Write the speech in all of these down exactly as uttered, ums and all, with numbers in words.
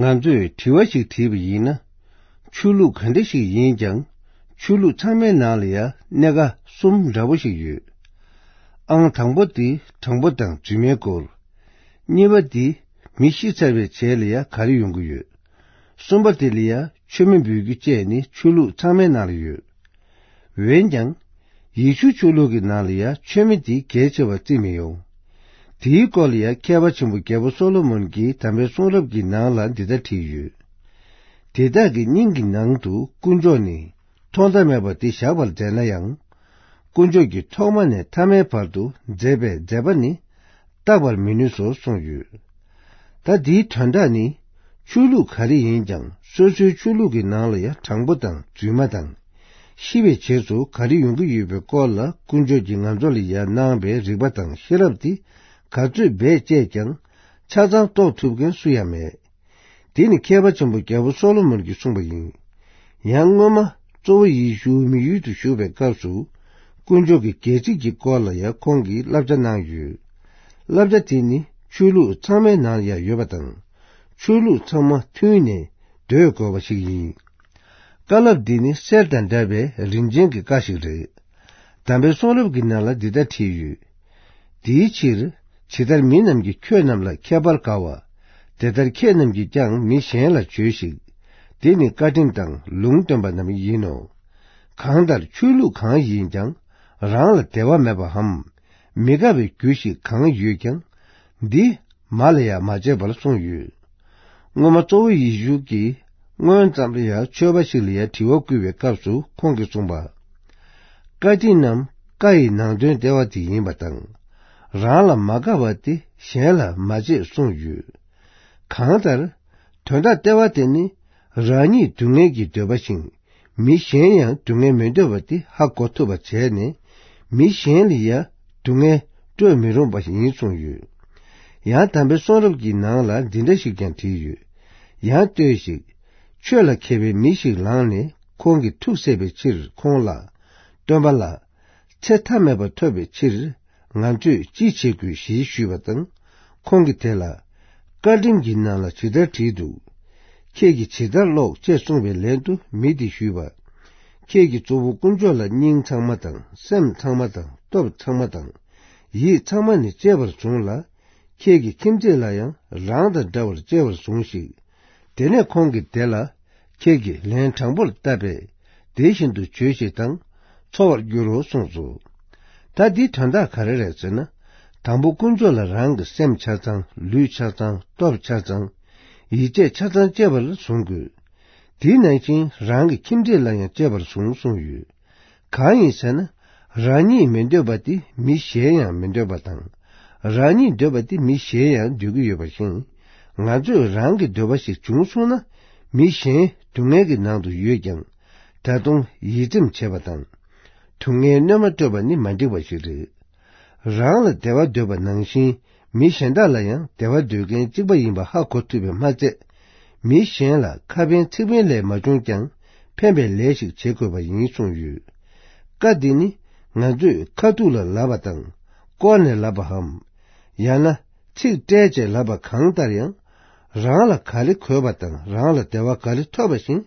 ང་ཚོས་དྲི་བ་ཞིག་དྲིས་པ་ཡིན་ན། ཆོས་ལུགས་ག་འདྲ་ཞིག་ཡིན་ཀྱང་། ཆོས་ལུགས་ཚང་མའི་ནང་ལ་ཡང་གནད་འགག་གསུམ་འདྲ་པོ་ཞིག་ཡོད། ཨང་དང་པོ་དེ་དྲང་པོ་དང་རྫུན་མའི་སྐོར། གཉིས་པ་དེ་མི་ཤི་ཚར་བའི་རྗེས་ལ་ཡང་ག་རེ་ཡོང་གི་ཡོད། གསུམ་པ་དེ་ལ་ཡང་མཆོད་མེ་འབུལ་རྒྱུ་བཅས་ནི་ཆོས་ལུགས་ཚང་མའི་ནང་ལ་ཡོད། འོན་ཀྱང་། ཡེ་ཤུ་ཆོས་ལུགས་ཀྱི་ནང་ལ་ཡང་མཆོད་མེ་དེ་གལ་ཆེ་བར་བརྩི་མི་ཡོང་། དེའི་སྐོར་ལ་ཡང་མཁས་པ་ཆེན་པོ་རྒྱལ་པོ་སོ་ལོ་མོན་གྱིས་དམ་པའི་གསུང་རབ་ཀྱི་ནང་ལ་འདི་ལྟར་བྲིས་ཡོད། དེ་དག་གི་སྙིང་གི་ནང་དུ་དཀོན་མཆོག་ནི་ཐོག་མཐའ་མེད་པ་དེ་བཞག་པར་མཛད་ན་ཡང་། དཀོན་མཆོག་གིས་ཐོག་མ་ནས་ཐ་མའི་བར་དུ་མཛད་པའི་མཛད་པ་ནི་བརྟག་པར་མི་ནུས་སོ་གསུངས་ཡོད། ད་འདིའི་དོན་དག་ནི། ཆོས་ལུགས་ག་རེ་ཡིན་ཀྱང་སོ་སོའི་ཆོས་ལུགས་ཀྱི་ནང་ལ་ཡང་དྲང་པོ་དང་རྫུན་མ་དང་། ཤི་བའི་རྗེས་སུ་ག་རེ་ཡོང་གི་ཡོད་པའི་སྐོར་ལ་དཀོན་མཆོག་གིས་ང་ཚོ་ལ་ཡང་གནང་བའི་རིག་པ་དང་ཤེས་རབ་དེ་ག་ཚོད་བེད་སྤྱད་ཀྱང་ཆ་ཚང་རྟོགས་ཐུབ་མཁན་སུ་ཡང་མེད། དེ་ནི་མཁས་པ་ཆེན་པོ་རྒྱལ་པོ་སོ་ལོ་མོན་གྱིས་གསུངས་པ་ཡིན། ཡང་སྔོན་མ་གཙོ་བོ་ཡེ་ཤུ་མི་ཡུལ་དུ་བཞུགས་པའི་སྐབས་སུ། དཀོན་མཆོག་གི་སྒལ་ཚིགས་ཀྱི་སྐོར་ལ་ཡང་ཁོང་གིས་བསླབ་བྱ་གནང་ཡོད། བསླབ་བྱ་དེ་ནི་ཆོས་ལུགས་ཚང་མའི་ནང་ཡང་ཡོད་པ་དང་། ཆོས་ལུགས་ཚང་མ་མཐུན་ནས་སྡོད་དགོས་པ་ཞིག་ཡིན། བཀའ་སློབ་འདི་ནི་གསེར་དང་འདྲ་བའི་རིན་ཆེན་གྱི་བཀའ་ཞིག་རེད། དམ་པའི་གསུང་རབ་ཀྱི་ནང་ལ་འདི་ལྟར་བྲིས་ཡོད། དེའི་ཕྱིར། ཇི་ལྟར་མི་རྣམས་ཀྱིས་ཁྱོད་རྣམས་ལ་ཁྱད་པར་དགའ་བ། དེ་ལྟར་ཁྱེད་རྣམས་ཀྱིས་ཀྱང་མི་གཞན་ལ་བྱོས་ཤིག། དེ་ནི་བཀའ་ཁྲིམས་དང་ལུང་སྟོན་པ་རྣམས་ཡིན་ནོ། གང་ལྟར་ཆོས་ལུགས་གང་ཡིན་ཀྱང་། རང་ལ་བདེ་བ་མེད་པའམ། མི་དགའ་བའི་རྒྱུ་ཞིག་གང་ཡོད་ཀྱང་། འདི་མ་ལ་ཡང་མ་བྱེད་པར་གསུངས་ཡོད། སྔོན་མ་གཙོ་བོ་ཡེ་ཤུ་གིས་སྔོན་ཙམ་ལ་ཡང་ཆོས་པ་ཞིག་ལ་ཡང་དྲི་བ་བསྐུལ་བའི་སྐབས་སུ་ཁོང་གིས་གསུངས་པ། བཀའ་ཁྲིམས་རྣམས་བཀའ་ཡི་ནང་དོན་ལྟེ་བ་དེ་ཡིན་པ་དང་། རང་ལ་མ་དགའ་བ་དེ་གཞན་ལ་མ་བྱེད་གསུངས་ཡོད། གང་ལྟར། དོན་དག་ལྟེ་བ་དེ་ནི། རང་ཉིད་སྡུག་བསྔལ་གྱིས་འདོད་པ་བཞིན། མི་གཞན་ཡང་སྡུག་བསྔལ་མི་འདོད་པ་དེ་ཧ་གོ་ཐུབ་པ་བྱས་ནས། མི་གཞན་ལ་ཡང་སྡུག་བསྔལ་སྤྲོད་མི་རུང་བ་ཡིན་གསུངས་ཡོད། ཡང་དམ་པའི་གསུང་རབ་ཀྱི་ནང་ལ་འདི་འདྲ་ཞིག་ཀྱང་བྲིས་ཡོད། ཡང་ལྟོས་ཤིག། ཆོས་ལ་མཁས་པའི་མི་ཞིག་ལངས་ནས་ཁོང་གི་ཐུགས་བསལ་བའི་ཕྱིར་ཁོང་ལ། སྟོན་པ་ལགས། ཚེ་མཐའ་མེད་པ་ཐོབ་པའི་ཕྱིར། ང་ཚོས་ཅི་བྱེད་དགོས་ཞེས་ཞུས་པ་དང་། ཁོང་གིས་དེ་ལ། བཀའ་ཁྲིམས་ཀྱི་ནང་ལ་ཇི་ལྟར་བྲིས་འདུག། ཁྱེད་ཀྱིས་ཇི་ལྟར་ཀློག་ཅེས་གསུངས་པའི་ལན་དུ་མི་དེས་ཞུས་པ། ཁྱེད་ཀྱིས་གཙོ་བོ་དཀོན་མཆོག་ལ་སྙིང་ཚང་མ་དང་སེམས་ཚང་མ་དང་སྟོབས་ཚང་མ་དང་ཡིད་ཚང་མ་ནས་གཅེས་པར་བཟུང་ལ། ཁྱེད་ཀྱི་ཁྱིམ་མཚེས་ལ་ཡང་རང་དང་འདྲ་བར་གཅེས་པར་བཟུང་ཞིག། དེ་ནས་ཁོང་གིས་དེ་ལ། ཁྱེད་ཀྱིས་ལན་དྲང་པོར་བཏབ་པས། དེ་བཞིན་དུ་བྱོས་ཤིག་དང་། འཚོ་བར་འགྱུར་རོ་གསུངས་སོ། ད་འདིའི་དོན་དག་ག་རེ་རེད་ཟེར་ན། དང་པོ་དཀོན་མཆོག་ལ་རང་གི་སེམས་ཆ་ཚང་། ལུས་ཆ་ཚང་། སྟོབས་ཆ་ཚང་། ཡིད་ཆེས་ཆ་ཚང་གཅེས་པར་བཟུང་དགོས། དེ་ནང་བཞིན་རང་གི་ཁྱིམ་མཚེས་ལ་ཡང་གཅེས་པར་བཟུང་གསུངས་ཡོད། གང་ཡིན་ཟེར་ན། རང་ཉིད་མི་འདོད་པ་དེ་མི་གཞན་ཡང་མི་འདོད་པ་དང་། རང་ཉིད་འདོད་པ་དེ་མི་གཞན་ཡང་འདོད་ཀྱི་ཡོད་པ་བཞིན། ང་ཚོས་རང་གི་འདོད་པ་ཞིག་བྱུང་སོང་ན། མི་གཞན་སྡུག་བསྔལ་གྱི་ནང་དུ་ཡོད་ཀྱང་། ད་དུང་ཡིད་ཚིམ་བྱེད་པ་དང་། སྡུག་བསྔལ་གནོད་མ་སྤྲོད་པ་ནི་མ་འགྲིག་པ་ཞིག་རེད། རང་ལ་བདེ་བ་འདོད་པ་ནང་བཞིན། མི་གཞན་དག་ལ་ཡང་བདེ་བ་འདོད་མཁན་གཅིག་པ་ཡིན་པ་ཧ་གོ་ཐུབ་པས་མ་ཚད། མི་གཞན་ལ་ཁ་ཕན་ཚིག་ཕན་ལས་མ་བྱུང་ཀྱང་ཕན་པའི་ལས་ཤིག་བྱེད་དགོས་པ་ཡིན་གསུངས་ཡོད། བཀའ་འདི་ནི་ང་ཚོས་ཁ་ཐུག་ལ་ལབ་པ་དང་བསྐོར་ནས་ལབ་པའམ། ཡང་ན་ཚིག་སྤྲད་བྱས་ལབ་པ་གང་ལྟར་ཡང་། རང་ལ་ག་རེ་དགོས་པ་དང་རང་ལ་བདེ་བ་ག་རེ་ཐོབ་པ་བཞིན་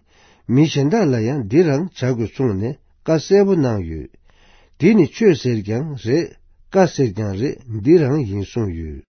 མི་གཞན་དག་ལ་ཡང་འདི་རང་བྱ་དགོས་གསུངས་ནས་བཀའ་གསལ་པོ་གནང་ཡོད། འདི་ནི་ཆོས་ཟེར་ཀྱང་རེད། བཀའ་ཟེར་ཀྱང་རེད། འདི་རང་ཡིན་གསུངས་ཡོད།